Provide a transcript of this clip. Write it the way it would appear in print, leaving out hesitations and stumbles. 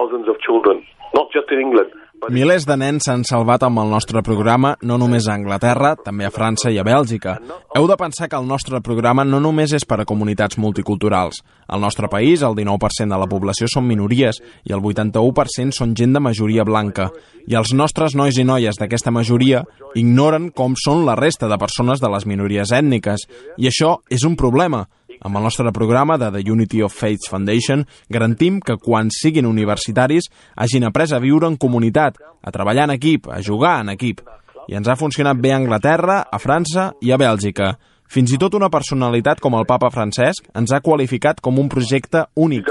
thousands of children, not just in England. Milers de nens s'han salvat amb el nostre programa, no només a Anglaterra, també a França i a Bèlgica. Heu de pensar que el nostre programa no només és per a comunitats multiculturals. Al nostre país, el 19% de la població són minories i el 81% són gent de majoria blanca. I els nostres nois i noies d'aquesta majoria ignoren com són la resta de persones de les minories ètniques. I això és un problema. Amb el nostre programa de The Unity of Faiths Foundation garantim que quan siguin universitaris hagin après a viure en comunitat, a treballar en equip, a jugar en equip. I ens ha funcionat bé a Anglaterra, a França i a Bèlgica. Fins i tot una personalitat com el papa Francesc ens ha qualificat com un projecte únic.